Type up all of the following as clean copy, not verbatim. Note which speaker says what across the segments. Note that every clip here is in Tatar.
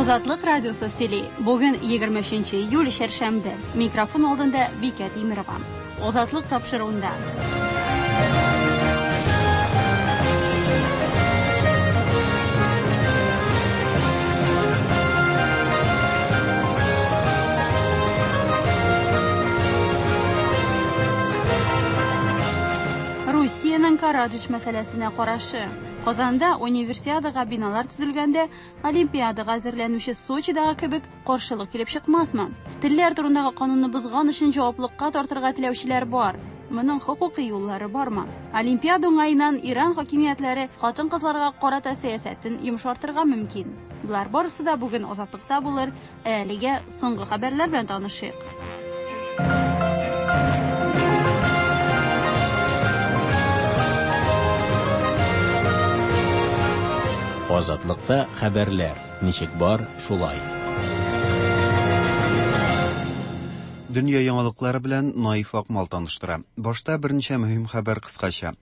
Speaker 1: Азатлык радиосы сөйли. Бүген 23 июль чәршәмбе. Микрофон алдында Бикә Тимерова. Азатлык тапшыруында. Русиянең Караджич мәсьәләсенә карашы. Казанда универсиадага биналар төзелгәндә Олимпиадага әзерләнүче Сочидагы кебек каршылык килеп чыкмасмы? Телләр турындагы канунны бозган өчен җаваплыкка тартырга теләүчеләр бар. Моның хокукый юллары бармы? Олимпиада уңаеннан Иран хакимиятләре хатын-кызларга карата сәясәтен йомшартырга мөмкин. Болар барысы да бүген Азатлыкта булыр, ә әлегә соңгы хәбәрләр белән танышыйк.
Speaker 2: Азатлыкта хәбәрләр ничек бар, шулай.
Speaker 3: Дөнья яңалыклары белән Наиф Акмал таныштыра. Башта берничә мөһим хәбәр кыскача.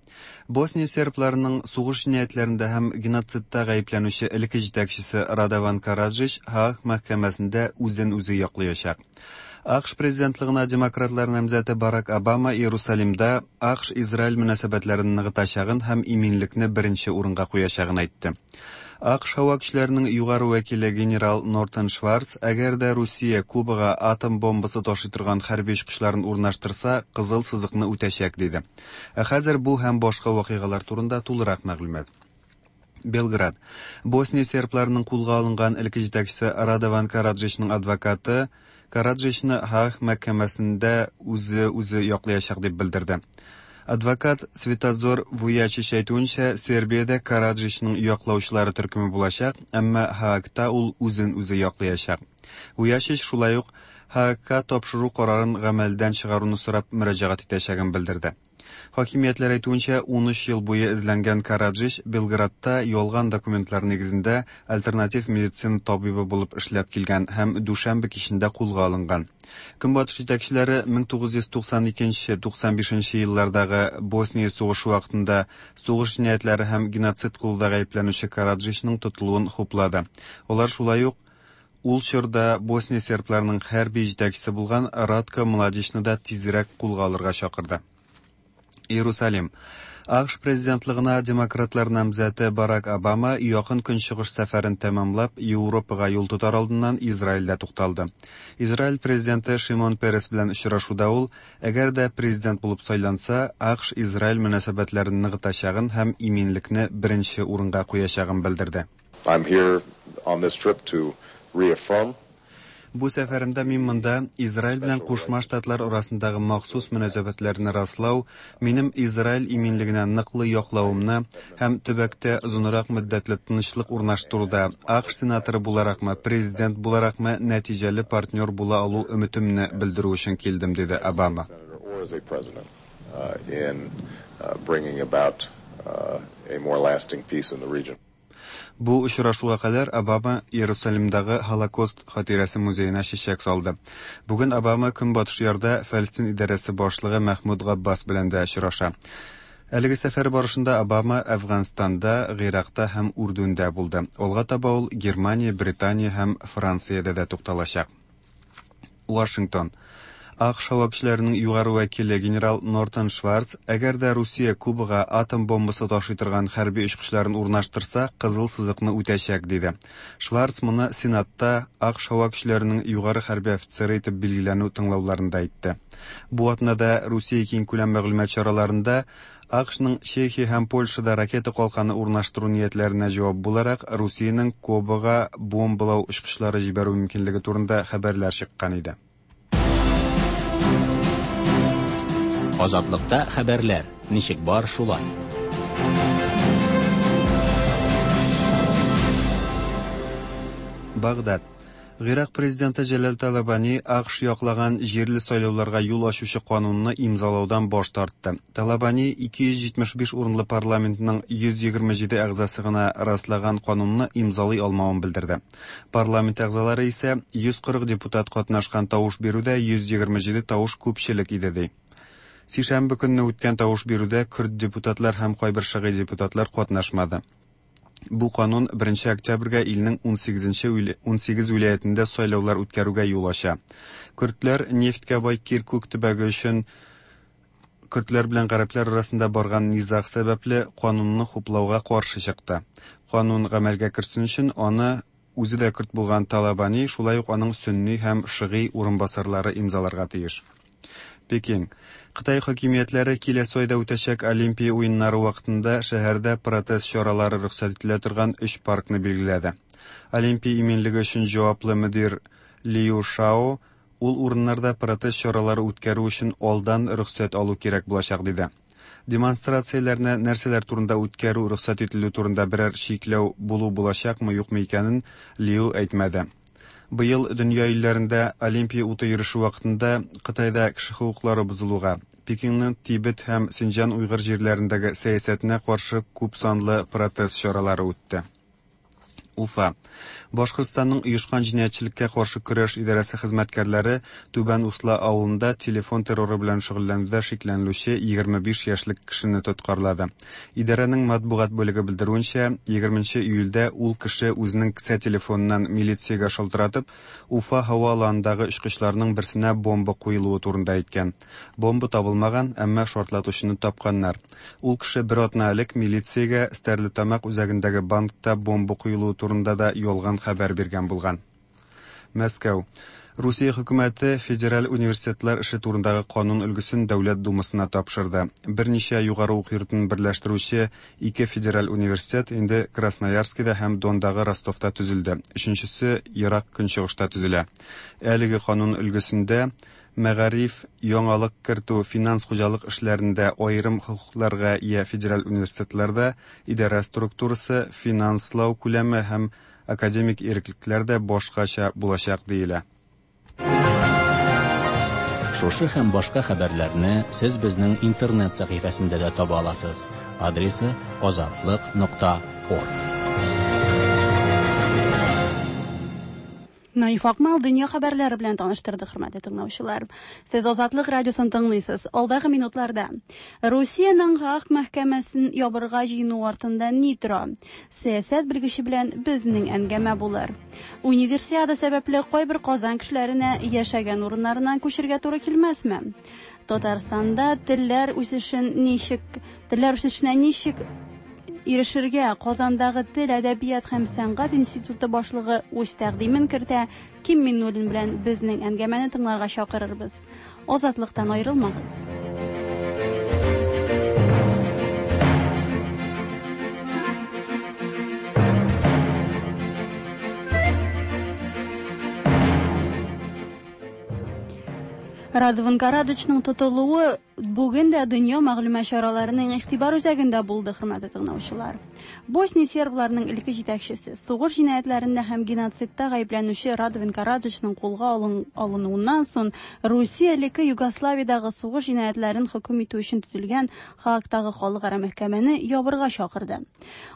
Speaker 3: Босния сербларының сугыш җинаятьләрендә һәм геноцидта гаепләнүче элекке җитәкчесе Радован Караджич Һааг мәхкәмәсендә үзен үзе яклыячак. АКШ президентлыгына демократлар намзәте Барак Обама Иерусалимда АКШ-Израиль мөнәсәбәтләрен ныгытачагын һәм иминлекне беренче урынга куячагын әйтте. АКШ һава көчләренең югары вәкиле генерал Нортон Шварц, әгәр дә Русия Кубага атом бомбасы ташый торган хәрби очкычларын урнаштырса, кызыл сызыкны үтәчәк, диде. Ә хәзер бу һәм башка вакыйгалар турында тулырак мәгълүмат. Белград. Босния сербларының кулга алынган элекке җитәкчесе Радован Караджичның адвокаты Караджичны Һааг мәхкәмәсендә үзе үзе яклаячак дип белдерде. Адвокат Светозор Вуячич әйтүенчә, Сербиядә Караджичның яклаучылары төркеме булачак, әмма Һаагта ул үзен үзе яклаячак. Вуячич шулай ук Һаагка тапшыру карарын гамәлдән чыгаруны сорап мөрәҗәгать итәчәген белдерде. Хакимиятләр әйтүенчә, 13 ел буе эзләнгән Караджич Белградта ялган документлар нигезендә альтернатив медицина табибы булып эшләп килгән һәм дүшәмбе кичендә кулга алынган. Көнбатыш җитәкчеләре 1992-95 еллардагы Босния сугышы вакытында сугыш җинаятьләре һәм геноцид кылуда гаепләнүче Караджичның тотылуын хуплады. Алар шулай ук ул чорда Босния сербларының хәрби җитәкчесе булган Радко Младичны да тизрәк кулга алырга чакырды. Иерусалим. АКШ президентлыгына демократлар намзәте Барак Обама якын көнчыгыш сәфәрен тәмамлап, Европага юл тотар алдыннан Израильдә тукталды. Израиль президенты Шимон Перес белән очрашуда ул, әгәр дә президент булып сайланса, АКШ-Израиль мөнәсәбәтләрен ныгытачагын һәм иминлекне беренче урынга куячагын белдерде.
Speaker 4: I'm here on this trip to reaffirm
Speaker 3: Бу сәфәремдә мин монда Израиль белән Кушма Штатлар арасындагы махсус мөнәсәбәтләрне раслау, минем Израиль иминлегенә ныклы яклавымны һәм төбәктә озынрак мөддәтле тынычлык урнаштыруда АКШ сенаторы буларакмы, президент буларакмы нәтиҗәле партнер була алу өметемне белдерү өчен килдем, диде Обама.
Speaker 4: in bringing about a more lasting peace in the region.
Speaker 3: Бу очрашуга кадәр Обама Иерусалимдагы Һолокост хатирәсе музеена чәчәк салды. Бүген Обама Көнбатыш ярда Фәлестин идарәсе башлыгы Мәхмүд Габбас белән дә очраша. Әлеге сәфәр барышында Обама Әфганстанда, Гыйракта һәм Үрдүндә булды. Алга таба ул Германия, Британия һәм Франциядә дә тукталачак. Вашингтон. АКШ һава көчләренең югары вәкиле генерал Нортон Шварц, әгәр дә Русия Кубага атом бомбасы ташый торган хәрби очкычларын урнаштырса, кызыл сызыкны үтәчәк, диде. Шварц моны Сенатта АКШ һава көчләренең югары хәрби офицеры итеп билгеләнү тыңлауларында әйтте. Бу атнада Русия киңкүләм мәгълүмат чараларында АКШның Чехия һәм Польшада ракета калканы урнаштыру ниятләренә җавап буларак Русиянең Кубага бомбалау очкычлары җибәрү мөмкинлеге турында хәбәрләр чыккан иде.
Speaker 2: Азатлыкта хәбәрләр ничек бар, шулай.
Speaker 3: Багдад. Гыйрак президенты Җәләл Талабани АКШ яклаган җирле сайлауларга юл ачучы канунны имзалаудан баш тартты. Талабани 275 урынлы парламентның 127 әгъзасы гына раслаган канунны имзалый алмавын белдерде. Парламент әгъзалары исә 140 депутат катнашкан тавыш бирүдә 127 тавыш күпчелек иде ди. Сишәмбе көнне үткән тавыш бирүдә көрд депутатлар һәм кайбер шыгый депутатлар катнашмады. Бу канун 1 октябрьгә илнең 18 18 вилаятендә сайлаулар үткәрүгә юл ача. Көрдләр нефтькә бай Киркүк төбәге өчен көрдләр белән гарәпләр арасында барган низаг сәбәпле канунны хуплауга каршы чыкты. Канун гамәлгә керсен өчен аны үзе дә көрд булган Талабани, шулай ук аның сөнни һәм шыгый урынбасарлары имзаларга тиеш. Пекин. Кытай хакимиятләре киләсе айда үтәчәк Олимпия уеннары вакытында шәһәрдә протест чаралары рөхсәт ителә торган өч паркны билгеләде. Олимпия иминлеге өчен җаваплы мөдир Лиу Шао ул урыннарда протест чаралары үткәрү өчен алдан рөхсәт алу кирәк булачак диде. Демонстрацияләрне нәрсәләр турында үткәрү рөхсәт ителү турында берәр чикләү булу булачакмы, юкмы икәнен Лиу әйтмәде. Быел дөнья илләрендә Олимпия уты йөреше вакытында Кытайда кеше хокуклары бозылуга, Пекинның Тибет һәм Синҗан уйгыр җирләрендәге сәясәтенә каршы күп санлы протест чаралары үтте. Уфа. Башкортстанның оешкан җинаятьчелеккә каршы көрәш идарәсе хезмәткәрләре Түбән Усла авылында телефон терроры белән шөгыльләнүдә шикләнелүче 25 яшьлек кешене тоткарлады. Идарәнең матбугат бүлеге белдерүенчә, 20 июльдә ул кеше үзенең кесә телефоныннан милициягә шалтыратып, Уфа һава аланындагы очкычларның берсенә бомба куелуы турында әйткән. Бомба табылмаган, әмма шартлатучыны тапканнар. Ул кеше бер атна элек милициягә Стәрлетамак үзәгендәге банкта бомба куелуы турында да ялган хәбәр биргән булган. Мәскәү. Русия хөкүмәте федераль университетлар эше турындагы канун өлгесен Дәүләт Думасына тапшырды. Берничә югары уку йортын берләштерүче ике федераль университет инде Красноярскида һәм Дондагы Ростовта төзелде. Өченчесе Ерак Көнчыгышта төзелә. Әлеге канун өлгесендә мәгариф, яңалык кертү, финанс-хуҗалык эшләрендә аерым хокукларга ия федераль университетларда идарә структурасы, финанслау күләме һәм академик иреклекләр дә башкача булачак диелә.
Speaker 2: Шушы һәм башка хәбәрләрне сез безнең интернет сәхифәсендә дә таба аласыз. Адресы azatliq.org.
Speaker 1: Наиф Акмал дөнья хәбәрләре белән таныштырды, хөрмәтле тыңлаучылар. Сез Азатлык радиосын тыңлыйсыз. Алдагы минутларда Русиянең Гааг мәхкәмәсен ябырга җыену артында ни тора? Сәясәт белгече белән безнең әңгәмә булыр. Универсиада сәбәпле кайбер Казан кешеләренә яшәгән урыннарыннан күчергә туры килмәсме? Татарстанда телләр үсешен ничек, телләр үсешенә ничек ирешергә Казандагы тел, әдәбият һәм сәнгать институты башлыгы үз тәкъдимен кертә. Ким Миннуллин белән безнең әңгәмәне тыңларга чакырырбыз. Азатлыктан аерылмагыз. Радован Караджичның тотылуы бүген дә дөнья мәгълүмат чараларының игътибар үзәгендә булды, хөрмәтле тыңлаучылар. Босния сербларының элекке җитәкчесе, сугыш җинаятьләрендә һәм геноцидта гаепләнүче Радован Караджичның кулга алынуыннан соң Русия элекке Югославиядәге сугыш җинаятьләрен хөкем итү өчен төзелгән Хаагтагы халыкара мәхкәмәне ябырга чакырды.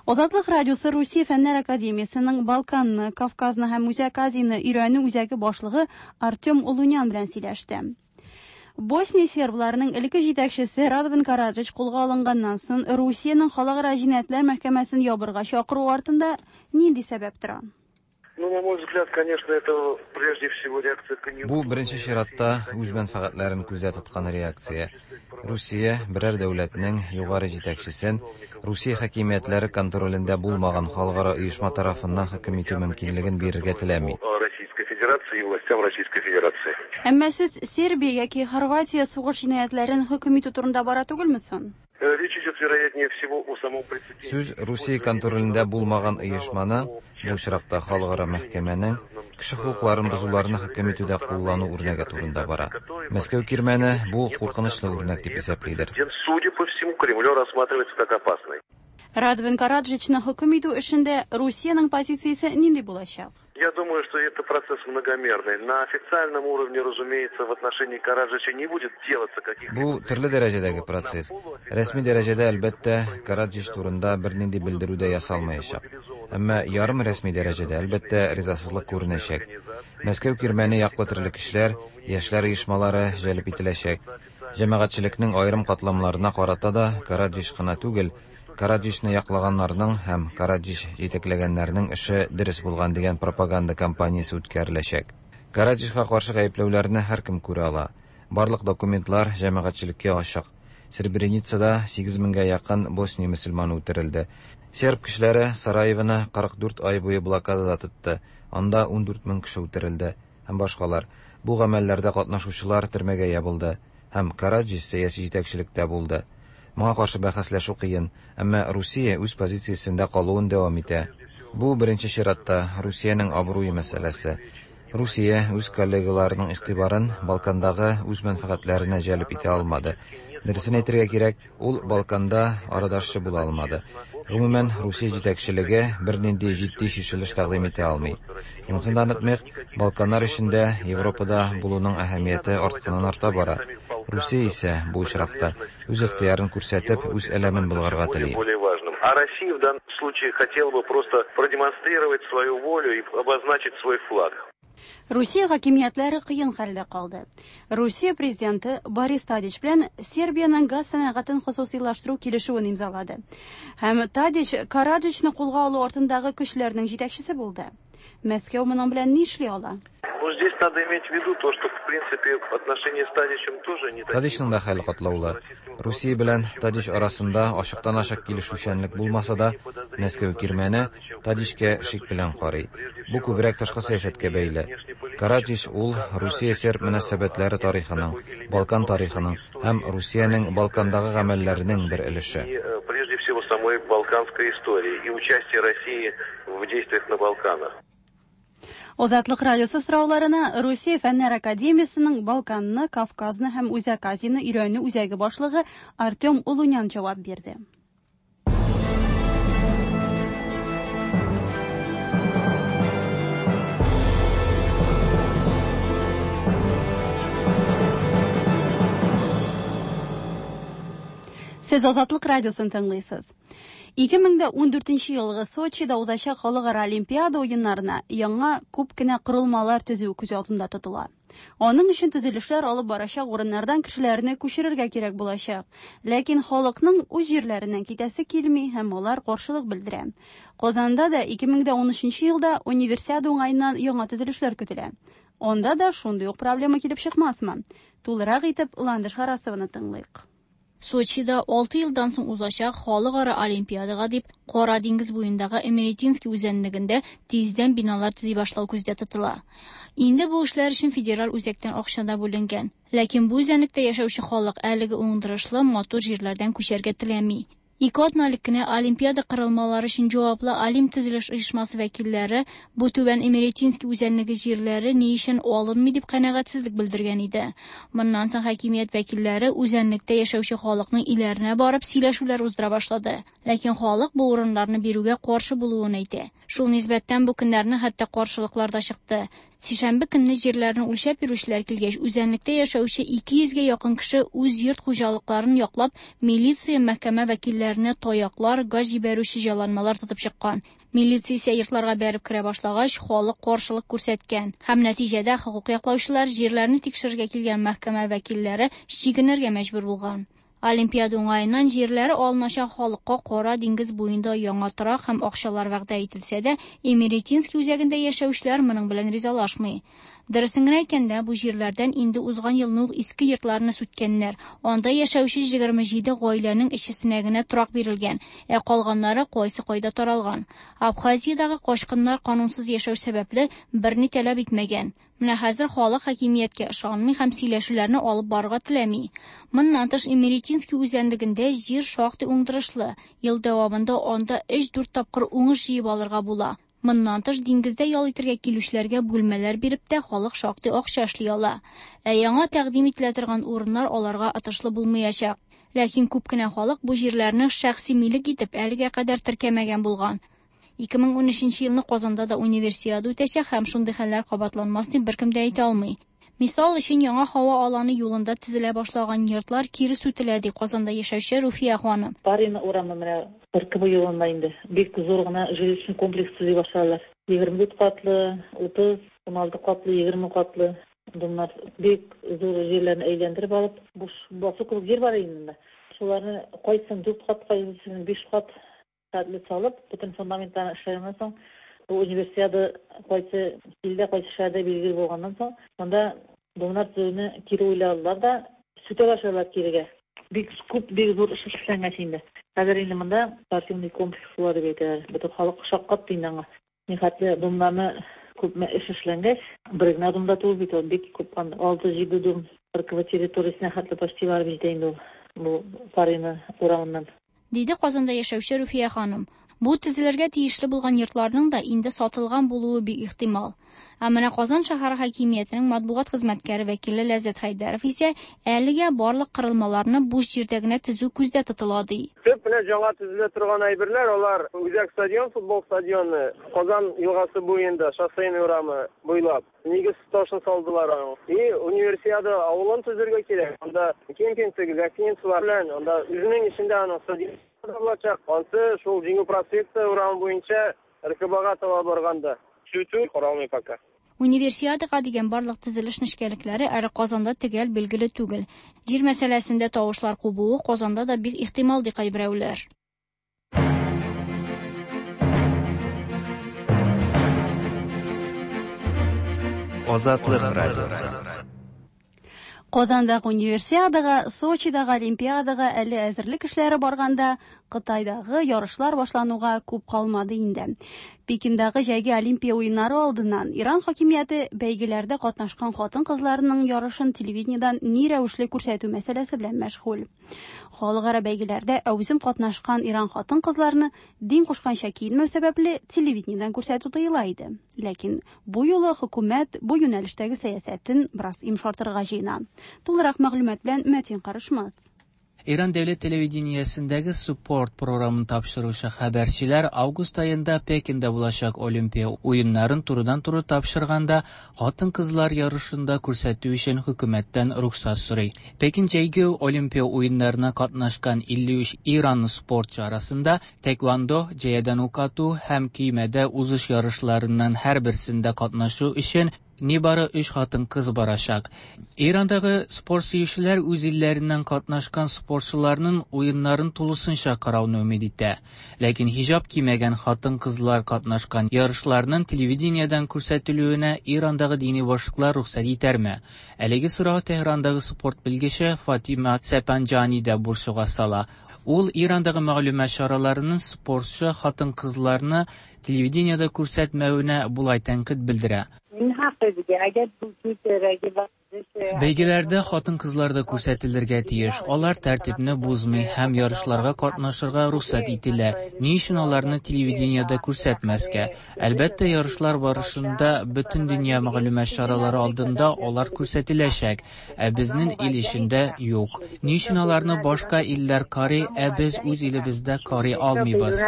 Speaker 1: Азатлык радиосы Русия Фәннәр академиясенең Балканны, Кавказны һәм Үзәк Азияне өйрәнү үзәге башлыгы Артем Олунян белән сөйләште. Босния сербларының элекке җитәкчесе Радован Караджич кулга алынганнан соң Русиянең халыкара җинаятьләр мәхкәмәсен ябырга чакыру артында нинди сәбәп тора?
Speaker 5: Ну, на мой взгляд, конечно, это прежде всего реакция
Speaker 6: Бу беренче чиратта үз мәнфәгатьләрен күздә тоткан реакция. Русия берәр дәүләтнең югары җитәкчесен Русия хакимиятләре контролендә булмаган халыкара оешма тарафыннан хөкем итү мөмкинлеген бирергә теләми.
Speaker 5: Российской Федерации и властям Российской Федерации.
Speaker 1: Әмма сүз Сербия яки Хорватия сугыш җинаятьләрен хөкем итү турында бара түгелме соң?
Speaker 5: Речь идет, вероятнее всего, о самом прецеденте.
Speaker 6: Сүз Русия контролендә булмаган оешманың, бу очракта халыкара мәхкәмәнең кеше хокукларын бозуларны хөкем итүдә куллану үрнәге турында бара. Мәскәү кирмәне бу куркынычлы үрнәк дип исәплидер.
Speaker 5: Судя по всему, Кремлю рассматривается как опасный.
Speaker 1: Радован Караджичны хөкем итү эшендә Русиянең позициясе нинди булачак?
Speaker 5: Я думаю, что это процесс многомерный. На официальном уровне, разумеется, в отношении Караджича не будет делаться каких-либо...
Speaker 6: Бу төрле дәрәҗәдәге процесс. Рәсми дәрәҗәдә, әлбәттә, Караджич турында бернинди белдерү дә ясалмаячак. Әмма ярым рәсми дәрәҗәдә, әлбәттә, ризасызлык күренәчәк. Мәскәү кирмәне яклы төрле көчләр, яшьләр оешмалары җәлеп ителәчәк. Җәмәгатьчелекнең аерым катламнарына карата да Караджич кына түгел, Караджичны яклаганнарның һәм Караджич җитәкләгәннәрнең эше дөрес булган дигән пропаганда кампаниясе үткәреләчәк. Караджичка каршы гаепләүләрне һәркем күрә ала. Барлык документлар җәмәгатьчелеккә ачык. Сребреницада 8 меңгә якын Босния мөселманы үтерелде. Серб кешеләре Сараевоны 44 ай буе блокадада тотты. Анда 14 мең кеше үтерелде һәм башкалар. Бу гамәлләрдә катнашучылар төрмәгә ябылды һәм Караджич сәяси җитәкчелектә булды. Моңа каршы бәхәсләшү кыен, әмма Русия үз позициясендә калуын дәвам итә. Бу, беренче чиратта, Русиянең абруе мәсьәләсе. Русия үз коллегаларының игътибарын Балкандагы үз мәнфәгатьләренә җәлеп итә алмады. Дөресен әйтергә кирәк, ул Балканда арадашчы була алмады. Гомумән, Русия җитәкчелеге бернинди җитди чишелеш тәкъдим итә алмый. Шунысын да онытмыйк, Балканнар өчен дә Европада булуның әһәмияте артканнан-арта бара. Русия исә, бу очракта, үз ихтыярын күрсәтеп, үз әләмен болгарга тели.
Speaker 5: А Россия в данном случае хотела бы просто продемонстрировать свою волю и обозначить свой флаг.
Speaker 1: Русия хакимиятләре кыен хәлдә калды. Русия президенты Борис Тадич белән Сербиянең газ сәнәгатен хосусыйлаштыру килешүен имзалады. Һәм Тадич Караджичны кулга алу артындагы көчләрнең җитәкчесе булды. Мәскәү моның белән нишли ала?
Speaker 5: Ну, здесь надо иметь в виду то, что, в принципе, отношения с Тадичем тоже не такие.
Speaker 6: Тадичның да хәле катлаулы. Русия белән Тадич арасында ачыктан-ачык килешүчәнлек булмаса да, Мәскәү кирмәне Тадичкә шик белән карый. Бу күбрәк тышкы сәясәткә бәйле. Караджич ул Русия-серб мөнәсәбәтләре тарихының, Балкан тарихының һәм Русиянең Балкандагы гамәлләренең бер өлеше.
Speaker 5: И, прежде всего, самой балканской истории и участие России в действиях на Балканах.
Speaker 1: Азатлык радиосы сорауларына Русия Фәннәр академиясенең Балканны, Кавказны һәм Үзәк Азияне өйрәнү үзәге башлыгы Артем Улунян җавап бирде. Сез Азатлык радиосын тыңлыйсыз. 2014 елгы Сочида узачак халыкара Олимпиада уеннарына яңа күп кенә корылмалар төзү күз алдында тотыла. Аның өчен төзелешләр алып барачак урыннардан кешеләрне күчерергә кирәк булачак. Ләкин халыкның үз җирләреннән китәсе килми һәм алар каршылык белдерә. Казанда да 2013 елда Универсиада уңаеннан яңа төзелешләр көтелә. Анда да шундый ук проблема килеп чыкмасмы? Тулырак итеп Ландыш Харасованы тыңлыйк.
Speaker 7: Сочида 6 елдан соң узачак халыкара Олимпиадага дип Кара диңгез буендагы Эмеретинский үзәнлегендә тиздән биналар төзи башлау күздә тотыла. Инде бу эшләр өчен федераль үзәктән акча да бүленгән. Ләкин бу үзәнлектә яшәүче халык әлеге уңдырышлы матур җирләрдән күчәргә теләми. Ике атна элек кенә Олимпиада корылмалары өчен җаваплы Олимп төзелеш оешмасы вәкилләре бу Түбән Эмеретинский үзәнлеге җирләре ни өчен алынмый дип канәгатьсезлек белдергән иде. Моннан соң хакимият вәкилләре үзәнлектә яшәүче халыкның өйләренә барып сөйләшүләр уздыра башлады. Ләкин халык бу урыннарны бирүгә каршы булуын әйтә. Шул нисбәттән бу көннәрне хәтта каршылыклар да чыкты. Сишәмбе көнне җирләрне үлчәп йөрүчеләр килгәч, үзәнлектә яшәүче 200 гә якын кеше үз йорт хуҗалыкларын яклап, милиция, мәхкәмә вәкилләренә таяклар, газ җибәрүче җайланмалар тотып чыккан. Милиция исә йортларга бәреп керә башлагач, халык каршылык күрсәткән. Һәм нәтиҗәдә хокук яклаучылар җирләрне тикшерергә килгән мәхкәмә вәкилләре чигенергә мәҗбүр булган. Олимпиада уңаеннан җирләре алыначак халыкка Кара диңгез буенда яңа торак һәм акчалар вәгъдә ителсә дә, Эмеретинский үзәгендә яшәүчеләр моның белән ризалашмый. Дөресен генә әйткәндә, бу җирләрдән инде узган елны ук иске йортларны сүткәннәр. Анда яшәүче 27 гаиләнең өчесенә генә торак бирелгән, ә калганнары кайсы кайда таралган. Абхазиядагы качкыннар канунсыз яшәү сәбәпле берни таләп итмәгән. Менә хәзер халык хакимияткә ышанмый һәм сөйләшүләрне алып барырга теләми. Моннан тыш Эмеретинский үзәнлегендә җир шактый уңдырышлы. Ел дәвамында анда 3-4 тапкыр уңыш җыеп алырга була. Моннан тыш диңгездә ял итәргә килүчеләргә бүлмәләр биреп тә халык шактый акча эшли ала. Ә яңа тәкъдим ителә торган урыннар аларга отышлы булмаячак. Ләкин күп кенә халык бу җирләрне шәхси милек итеп әлегә кадәр теркәмәгән булган. 2013 елны Казанда да универсиада үтәчәк һәм шундый хәлләр кабатланмас дип беркем дә әйтә алмый. Мисал өчен яңа һава аланы юлында төзелә башлаган йортлар кире сүтелә, ди Казанда яшәүче Руфия ханым.
Speaker 8: Парина урамы менә РКБ юлында инде бик зур гына жилищный комплекс төзи башладылар. 24 катлы, 30, 16 катлы, 20 катлы домнар бик зур җирләрне әйләндереп алып, буш басу кебек җир бар инде. Шуларны кайсын 4 кат, кайсын 5 кат хәтле салып, бөтен фундаментларын эшләгәннән соң, бу универсиада кайсы илдә, кайсы шәһәрдә билгеле булганнан соң, монда домнар төзүне кире уйладылар да, сүтә башладылар кирегә. Бик күп, бик зур эш эшләнгәч инде. Хәзер инде монда спортивный комплекс була дип әйтәләр. Бөтен халык шаккатты инде аңа. Нихәтле домнарны күпме эш эшләнгәч, бер генә дом да түгел бит ул, бик күп, 6-7 дом РКВ территориясенә хәтле почти барып җитә инде ул бу Парина урамыннан.
Speaker 7: Диде Казанда яшәүче Руфия ханым. Бу төзелергә тиешле булган йортларның да инде сатылган булуы бик ихтимал. Ә менә Казан шәһәре хакимиятенең матбугат хезмәткәре вәкиле Ләззәт Хәйдәров исә әлегә барлык корылмаларны буш җирдә генә төзү күздә тотыла ди.
Speaker 9: Төп менә яңа төзелә торган әйберләр алар Үзәк стадион, футбол стадионы, Казан елгасы буенда, Шоссейный урамы буйлап нигез ташын салдылар аның. И Универсиада авылын төзергә кирәк. Анда кемпинг, гостиницалар белән, анда үзенең эчендә аның стадион булачак. Ансы шул Җиңү проспекты урамы буенча РКБга таба барганда. Сүтү каралмый пока.
Speaker 7: Универсиадага дигән барлык төзелеш нечкәлекләре әле Казанда төгәл билгеле түгел. Җир мәсьәләсендә тавышлар кубуы Казанда да бик ихтимал ди кайберәүләр.
Speaker 3: Азатлык радиосы.
Speaker 1: Казандагы универсиадага, Сочидагы олимпиадага әле әзерлек эшләре барганда, Кытайдагы ярышлар башлануга күп калмады инде. Пекиндагы җәйге олимпия уеннары алдыннан Иран хакимияте бәйгеләрдә катнашкан хатын-кызларның ярышын телевидениедән ни рәвешле күрсәтү мәсьәләсе белән мәшгуль. Халыкара бәйгеләрдә әүзем катнашкан Иран хатын-кызларны дин кушканча киенмәү сәбәпле телевидениедән күрсәтү тыела иде. Ләкин бу юлы хөкүмәт бу юнәлештәге сәясәтен бераз йомшартырга җыена. Тулырак мәгълүмат белән Мәтин Карышмас.
Speaker 10: Иран дәүләт телевидениесендәге Спорт програмын тапшыручы хәбәрчеләр август аенда Пекинда булачак Олимпия уеннарын турыдан-туры тапшырганда хатын-кызлар ярышында күрсәтү өчен хөкүмәттән рөхсәт сорый. Пекин җәйге Олимпия уеннарына катнашкан 53 Иран спортчы арасында тэквондо, җәядән ук ату һәм көймәдә узыш ярышларыннан һәрберсендә катнашу өчен нибары 3 хатын-кыз барачак. Ирандагы спорт сөючеләр үз илләреннән катнашкан спортчыларның уеннарын тулысынча карауны өмид итә. Ләкин хиҗап кимәгән хатын-кызлар катнашкан ярышларның телевидениедән күрсәтелүенә Ирандагы дини башлыклар рөхсәт итәрме? Әлеге сорау Тәһрандагы спорт белгече Фатима Сәпанҗани да борчуга сала. Ул Ирандагы мәгълүмат чараларының спортчы хатын-кызларны телевидениедә күрсәтмәвенә болай тәнкыйть белдерә. Бәйгеләрдә хатын-кызлар да күрсәтелергә тиеш. Алар тәртипне бозмый һәм ярышларга катнашырга рөхсәт ителә. Ни өчен аларны телевидениедә күрсәтмәскә? Әлбәттә, ярышлар барышында бөтен дөнья мәгълүмат чаралары алдында алар күрсәтеләчәк, ә безнең ил эчендә юк. Ни өчен аларны башка илләр карый, ә без үз илебездә карый алмыйбыз?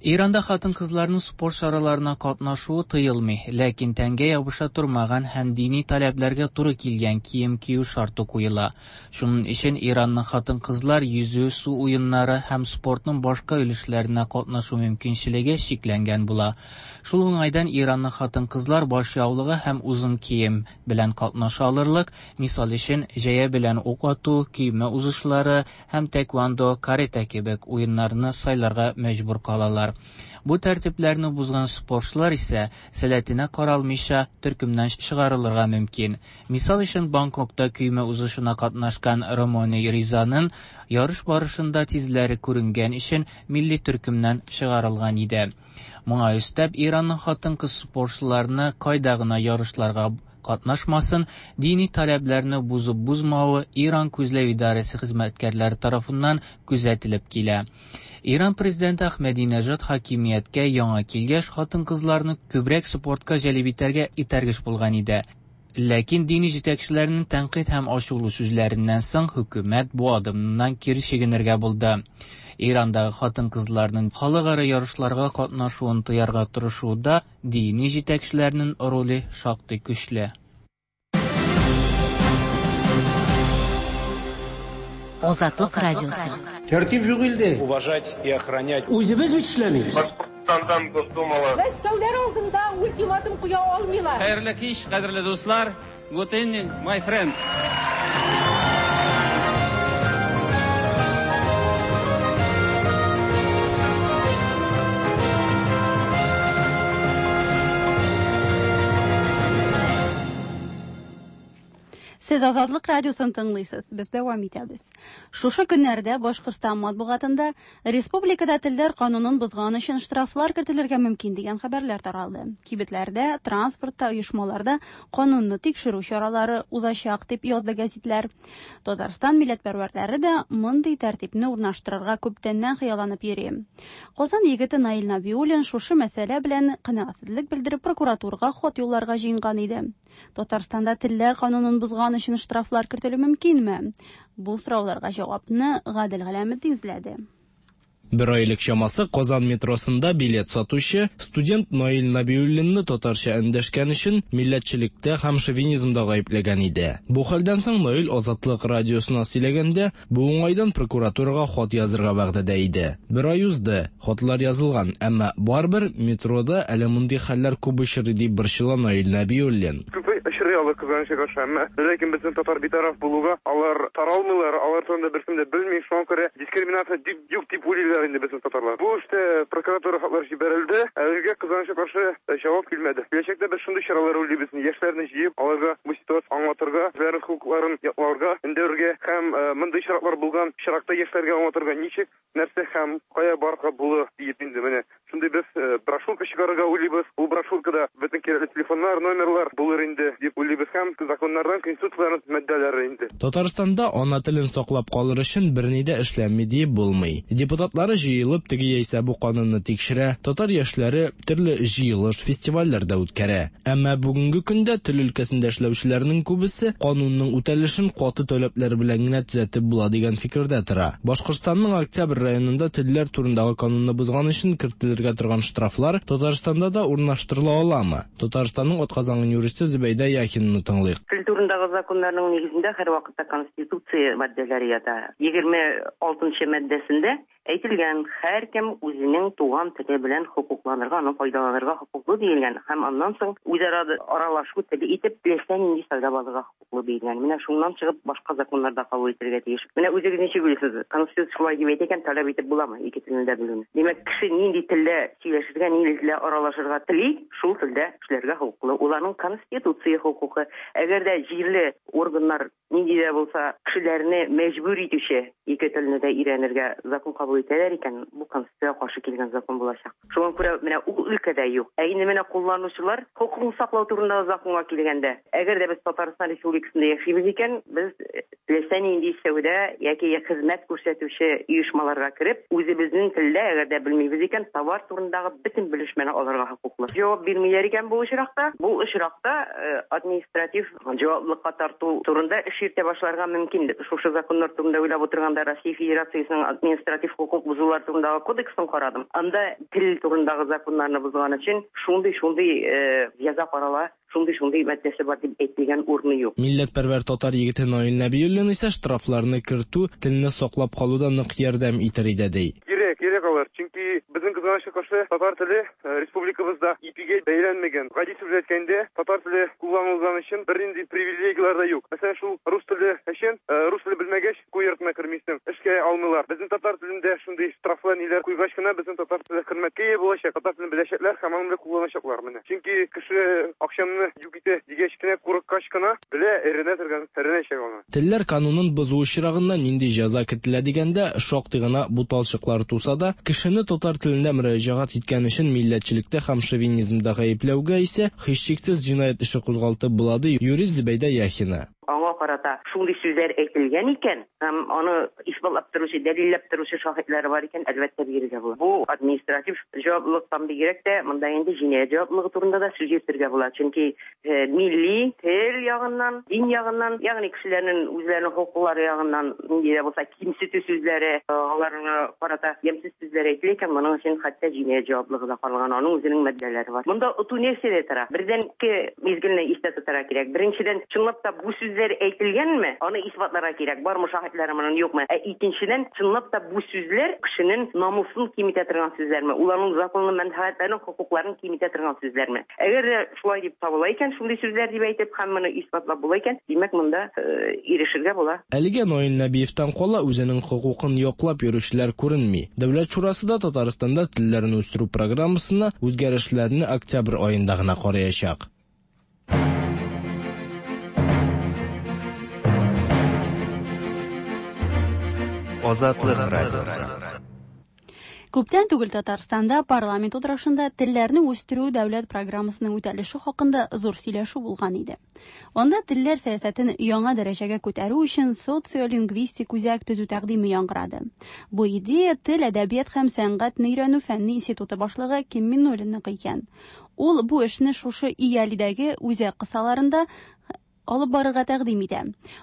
Speaker 10: Иранда хатын-кызларның спорт чараларына катнашуы тыелмый, ләкин тәнгә ябыша тормаган һәм дини таләпләргә туры килгән кием кию шарты куела. Шуның өчен Иранның хатын-кызлар йөзү, су уеннары һәм спортның башка өлешләренә катнашу мөмкинчелеге чикләнгән була. Шул уңайдан Иранның хатын-кызлар баш яулыгы һәм озын кием белән катнаша алырлык, мисал өчен, җәя белән ук ату, көймә узышлары һәм тэквондо, каратэ кебек уеннарны сайларга мәҗбүр калалар. Бу тәртипләрне бозган спортчылар исә сәләтенә каралмыйча төркемнән чыгарылырга мөмкин. Мисал өчен, Бангкокта көймә узышына катнашкан Ромони Ризаның ярыш барышында тизләре күренгән өчен милли төркемнән чыгарылган иде. Моңа өстәп, Иранның хатын-кыз спортчыларны кайда гына ярышларга катнашмасын, дини таләпләрне бозып бозмавы Иран күзләү идарәсе хезмәткәрләре тарафыннан күзәтелеп килә. Иран президенты Ахмадинежад хакимияткә яңа килгәч, хатын-кызларны күбрәк спортка җәлеп итәргә этәргеч булган иде. Ләкин дини җитәкчеләрнең тәнкыйть һәм ачулы сүзләреннән соң хөкүмәт бу адымнан кире чигенергә булды. Ирандагы хатын-кызларның халыкара ярышларга катнашуын тыярга тырышуда дини җитәкчеләрнең роле шактый көчле.
Speaker 11: Азатлык радиосы.
Speaker 12: Тәртип юк илдә.
Speaker 13: Уважать и охранять.
Speaker 12: Үзебез бит эшләмибез.
Speaker 13: Башкортстандан Госдумалы.
Speaker 14: Мәскәүләр алдында ультиматум куя алмыйлар.
Speaker 15: Хәерле кич, кадерле дуслар.
Speaker 13: Good evening, my friends.
Speaker 1: Сез Азатлык радиосын тыңлыйсыз. Без дәвам итәбез. Шушы көннәрдә Башкортстан матбугатында республикада телләр канунын бозган өчен штрафлар кертелергә мөмкин дигән хәбәрләр таралды. Кибетләрдә, транспортта, оешмаларда канунны тикшерү чаралары узачак дип язды гәзитләр. Татарстан милләтпәрвәрләре дә мондый тәртипне урнаштырырга күптәннән хыялланып йөри. Казан егете Наил Набиуллин шушы мәсьәлә белән канәгатьсезлек белдереп прокуратурага хат юлларга җыенган иде. Татарстанда телләр канунын бозган өчен штрафлар кертелү мөмкинме? Бу сорауларга җавапны Гадел Галәметдин эзләде.
Speaker 14: Бер ай элек чамасы Казан метросында билет сатучы студент Наил Набиуллинны татарча эндәшкән өчен милләтчелектә һәм шовинизмда гаепләгән иде. Бу хәлдән соң Наил Азатлык радиосына сөйләгәндә, бу уңайдан прокуратурага хат язырга вәгъдәдә иде. Бер ай узды, хатлар язылган, әмма барыбер метрода әле мондый хәлләр күп очрый дип борчыла Наил Нәбиуллин.
Speaker 15: Күп очрый алар, кызганычка каршы, әмма ләкин безнең татар битараф булуга алар таралмыйлар, алар турында беркем дә белми, шуңа күрә дискриминация дип юк дип уйлыйлар инде безнең татарлар. Бу эштә прокуратура хатлар җибәрелде, әлегә кызганычка каршы җавап килмәде. Киләчәктә без шундый чаралар уйлыйбыз, яшьләрне җыеп, аларга бу ситуация аңлатырга, үзләренең хокукларын якларга, өндәргә һәм мондый очраклар булган очракта яшьләргә аңлатырга ничек, нәрсә һәм кая барырга була диеп инде менә шундый без брошюрка чыгарырга уйлыйбыз. Ул брошюркада бөтен кирәкле телефоннар, номерлар булыр инде дип уйлыйбыз һәм законнардан, конституцияләрнең маддәләре инде.
Speaker 14: Татарстанда ана телен саклап калыр өчен берни дә эшләнми диеп булмый. Депутатлары җыелып теге яисә бу канунны тикшерә, татар яшьләре төрле җыелыш, фестивальләр дә үткәрә. Әмма бүгенге көндә тел өлкәсендә эшләүчеләрнең күбесе канунның үтәлешен каты таләпләр белән генә төзәтеп була дигән фикердә тора. Башкортстанның Октябрь районында телләр турындагы канунны бозган өчен кертелергә торган штрафлар Татарстанда да урнаштырыла аламы? Татарстанның атказанган юристы Зөбәйдә Яхинаны тыңлыйк.
Speaker 16: Тел турындагы законнарның нигезендә һәрвакытта Конституция маддәләре ята. 26 маддәсендә әйтелгән, һәркем үзенең туган теле белән хокукланырга, аны файдаланырга хокуклы диелгән һәм аннан соң үзара аралашу теле итеп теләсә нинди сайлап алырга хокуклы диелгән. Менә шуннан чыгып башка законнар да кабул ителергә тиеш. Менә үзегез ничек уйлыйсыз, Конституция шулай дип әйтә икән, таләп итеп буламы ике телне дә белүне? Димәк, кеше нинди телдә сөйләшергә, нинди телдә аралашырга тели, шул телдә эшләргә хокуклы. Ул аның конституция хокукы. Әгәр дә җирле органнар нинди дә булса кешеләрне мәҗбүр итүче ике телне дә өйрәнергә закон кабул итәләр икән, бу конституциягә каршы килгән закон булачак. Шуңа күрә менә ул өлкәдә юк. Ә инде менә кулланучылар хокукын саклау турындагы законга килгәндә, әгәр дә без Татарстан Республикасында яшибез икән, без теләсә нинди сәүдә яки хезмәт күрсәтүче оешмаларга кереп, үзебезнең телдә, әгәр дә белмибез икән, товар турындагы бөтен белешмәне алырга хокуклы. Җавап бирмиләр икән бу очракта, бу очракта административ җаваплылыкка тарту турында эш йөртә башларга мөмкин. Шушы законнар турында уйлап утырганда Россия Федерациясенең административ хокук бозулар турындагы кодексын карадым. Анда тел турындагы законнарны бозган өчен шундый-шундый җәза карала, шундый-шундый маддәсе бар дип әйтелгән урыны юк.
Speaker 14: Милләтпәрвәр татар егете Наил Нәбиуллин исә штрафларны кертү телне саклап калуда нык ярдәм итер иде, ди.
Speaker 15: Кирәк, кирәк алар. Чөнки безнең кызганычка каршы татар теле республикабызда ипигә бәйләнмәгән. Гади сүз әйткәндә, татар теле кулланылган өчен бернинди привилегияләр дә юк. Мәсәлән, шул рус теле өчен, рус теле белмәгәч, уку йортына кермисең, эшкә алмыйлар. Безнең татар телендә шундый штрафлар ниләр куйгач кына безнең татар теле хөрмәткә ия булачак, татар телен беләчәкләр һәм аны кулланачаклар менә. Чөнки кеше акчамны юк итә дигәч кенә, курыккач кына белә, өйрәнә торган, өйрәнәчәк аны.
Speaker 14: Телләр канунын бозу очрагында нинди җәза кертелә дигәндә, шактый гына буталчыклар туса да, кешене татар телендә мөрәҗәгать иткән өчен милләтчелектә һәм шовинизмда гаепләүгә исә һичшиксез җинаять эше кузгалтып була, ди юрист Зөбәйдә Яхина.
Speaker 16: Аңа карата шундый сүзләр әйтелгән икән һәм аны исбатлап торучы, дәлилләп торучы шаһитлары бар икән, әлбәттә, бирергә була. Бу административ җаваплылыктан бигрәк тә, монда инде җинаять җаваплылыгы турында да сүз йөртергә була. Чөнки милли тел ягыннан, дин ягыннан, ягъни кешеләрнең үзләренең хокуклары ягыннан нинди дә булса кимсетү сүзләре, аларга карата ямьсез сүзләр әйтелә икән, моның өчен хәтта җинаять җаваплылыгы да каралган, аның үзенең маддәләре бар. Монда оту нәрсәдә тора? Бердән, ике мизгелне истә тотарга кирәк. Беренчедән, чынлап та бу сүзләр әйтелгәнме? әйтелгәнме, аны исбатларга кирәк, бармы шаһитлары моның, юкмы. Ә икенчедән, чынлап та бу сүзләр кешенең намусын киметә торган сүзләрме, ул аның законлы мәнфәгатьләрен, хокукларын киметә торган сүзләрме. Әгәр дә шулай дип табыла икән, шундый сүзләр дип әйтеп һәм моны исбатлап була икән, димәк, монда ирешергә була.
Speaker 14: Әлегә Наил Нәбиевтән кала үзенең хокукын яклап йөрүчеләр күренми. Дәүләт шурасы да Татарстанда телләрне үстерү программасына үзгәрешләрне октябрь аенда гына караячак.
Speaker 3: Азатлык радиосы.
Speaker 1: Күптән түгел Татарстанда парламент утырышында телләрне үстерү дәүләт программасының үтәлеше хакында зур сөйләшү булган иде. Анда телләр сәясәтен яңа дәрәҗәгә күтәрү өчен социолингвистик үзәк төзү тәкъдиме яңгырады. Бу идея Тел, әдәбият һәм сәнгатьне өйрәнү фәнни институты башлыгы Ким Миннуллинныкы икән. Ул бу эшне шушы ИЯЛИдәге үзәк кысаларында алып барырга тәкъдим итә.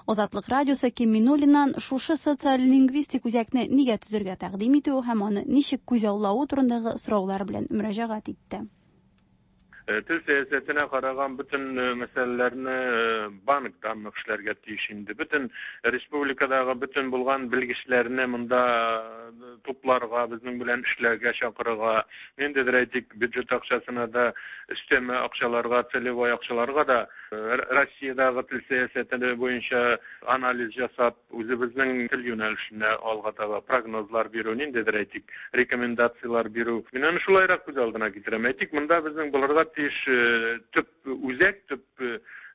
Speaker 1: Азатлык радиосы Ким Миннуллиннан шушы социолингвистик үзәкне нигә төзергә тәкъдим итүе һәм аны ничек күзаллавы турындагы сораулар белән мөрәҗәгать итте.
Speaker 13: Тел сәясәтенә караган бөтен мәсьәләләрне банк данных эшләргә тиеш инде. Бөтен республикадагы бөтен булган белгечләрне монда тупларга, безнең белән эшләргә чакырырга, ниндидер әйтик, бюджет акчасына да, өстәмә акчаларга, целевой акчаларга да Россиядәге тел сәясәте буенча анализ ясап, үзебезнең тел юнәлешенә алга таба прогнозлар бирү, ниндидер әйтик, рекомендацияләр бирү. Мин аны шулайрак күз алдына китерәм. Әйтик, монда безнең булырга тиеш төп үзәк, төп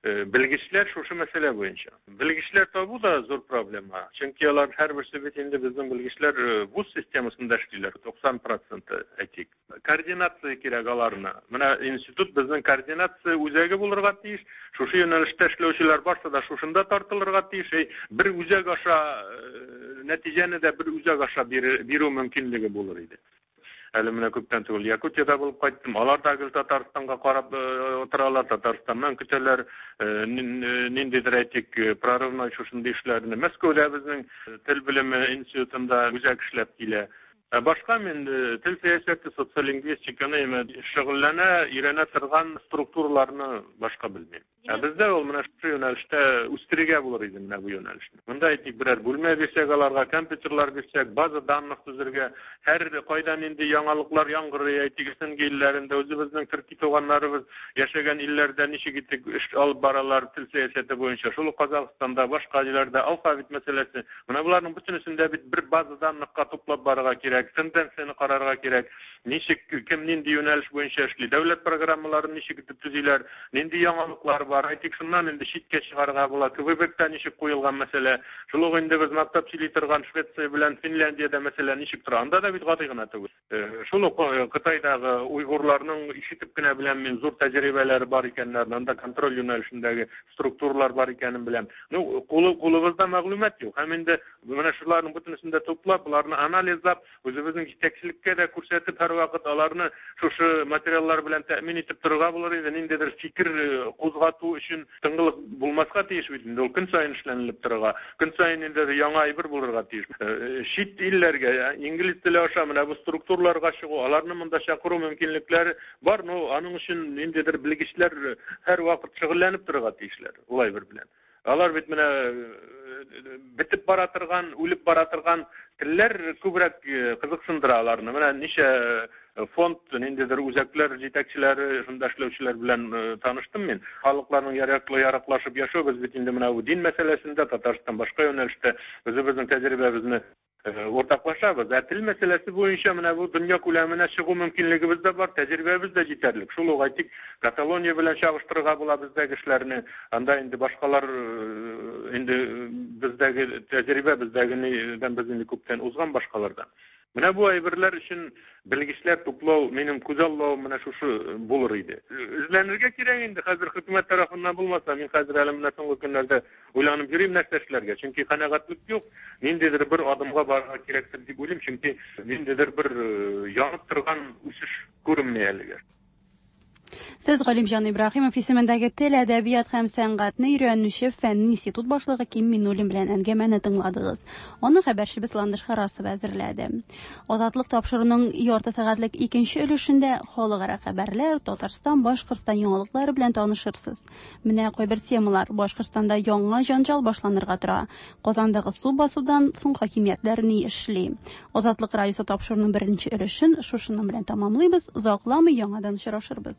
Speaker 13: белгечләр шушы мәсьәлә буенча. Белгечләр табу да зур проблема. Чөнки алар һәрберсе бит инде безнең белгечләр вуз системасында эшлиләр, 90 проценты әйтик. Координация кирәк аларны. Менә институт безнең координация үзәге булырга тиеш. Шушы юнәлештә эшләүчеләр барсы да шушында тартылырга тиеш. Әй, бер үзәк аша нәтиҗәне дә бер үзәк аша бирү мөмкинлеге булыр иде. Әле менә күптән түгел Якутиядә булып кайттым. Алар да гел Татарстанга карап утыралар, Татарстаннан көтәләр. Ниндидер әйтик, прорывной шушындый эшләрне. Мәскәүдә безнең тел белеме институтында үзәк эшләп килә. Ә башка мин тел сәясәте, социолингвистиканы шөгыльләнә, өйрәнә торган структураларны башка белмим. Ә бездә ул менә шушы юнәлештә үстерергә булыр иде менә бу юнәлешне. Монда әйтик, берәр бүлмә бирсәк аларга, компьютерлар бирсәк, база данных төзергә, һәр кайда нинди яңалыклар яңгырый, әйтик, СНГ илләрендә, үзебезнең төрки туганнарыбыз яшәгән илләрдә ничек итеп эш алып баралар тел сәясәте буенча, шул ук Казахстанда, башка җирләрдә алфавит мәсьәләсе. Менә боларның бөтенесен дә бит бер база данныхка туплап барырга кирәк, тенденцияне карарга кирәк. Ничек, кем нинди юнәлеш буенча эшли, дәүләт программаларын ничек итеп төзиләр, нинди яңалыклар бар. Әйтик, шуннан инде читкә чыгарга була. Квебекта ничек куелган мәсьәлә. Шул ук инде без мактап сөйли торган Швеция белән Финляндиядә мәсьәлә ничек тора. Анда да бит гади гына түгел. Шул ук Кытайдагы уйгурларның ишетеп кенә беләм мин, зур тәҗрибәләре бар икәннәрен, анда контроль юнәлешендәге структуралар бар икәнен беләм. Ну, кулыбызда мәгълүмат юк. Һәм инде менә шуларның бөтенесен дә туплап, боларны анализлап, Үзебезнең җитәкчелеккә дә күрсәтеп, һәрвакыт аларны шушы материаллар белән тәэмин итеп торырга булыр иде. Ниндидер фикер кузгату өчен тынгылык булмаска тиеш бит инде. Ул көн саен эшләнелеп торырга, көн саен ниндидер яңа әйбер булырга тиеш. Чит илләргә, инглиз теле аша менә бу структураларга чыгу, аларны монда чакыру мөмкинлекләре бар, но аның өчен ниндидер белгечләр һәрвакыт шөгыльләнеп торырга тиешләр ул әйбер белән. Алар бит менә бетеп бара торган, үлеп бара торган телләр күбрәк кызыксындыра аларны. Менә ничә фонд, ниндидер үзәкләр җитәкчеләре, шунда эшләүчеләр белән таныштым мин. Халыкларның яраклашып яшәү, без бит инде менә бу дин мәсьәләсендә Татарстан башка юнәлештә үзебезнең тәҗрибәбезне Уртаклашабыз. Ә тел мәсьәләсе буенча менә бу дөнья күләменә чыгу мөмкинлегебез дә бар, тәҗрибәбез дә җитәрлек. Шул ук әйтик, Каталония белән чагыштырырга була бездәге эшләрне. Анда инде башкалар инде бездәге тәҗрибә бездәгенедән без инде күптән узган башкалардан. Менә бу әйберләр өчен белгечләр туплау, минем күзаллавым менә шушы булыр иде. Эзләнергә кирәк инде, хәзер хөкүмәт тарафыннан булмаса, мин хәзер әле менә соңгы көннәрдә уйланып йөрим нәрсә эшләргә, чөнки канәгатьлек юк, ниндидер бер адымга барырга кирәктер дип уйлыйм, чөнки ниндидер бер янып торган үсеш күренми әлегә.
Speaker 1: Сез Галимҗан Ибраһимов исемендәге тел, әдәбият һәм сәнгатьне өйрәнүче фәнни институт башлыгы Ким Миннуллин белән әңгәмәне тыңладыгыз. Аны хәбәрчебез Ландыш Харасова әзерләде. Азатлык тапшыруның ярты сәгатьлек икенче өлешендә халыкара хәбәрләр, Татарстан, Башкортстан яңалыклары белән танышырсыз. Менә кайбер темалар. Башкортстанда яңа җанҗал башланырга тора. Казандагы су басудан соң хакимиятләр ни эшли? Азатлык радиосы тапшыруның беренче өлешен шушының белән тәмамлыйбыз. Озакламый яңадан очрашырбыз.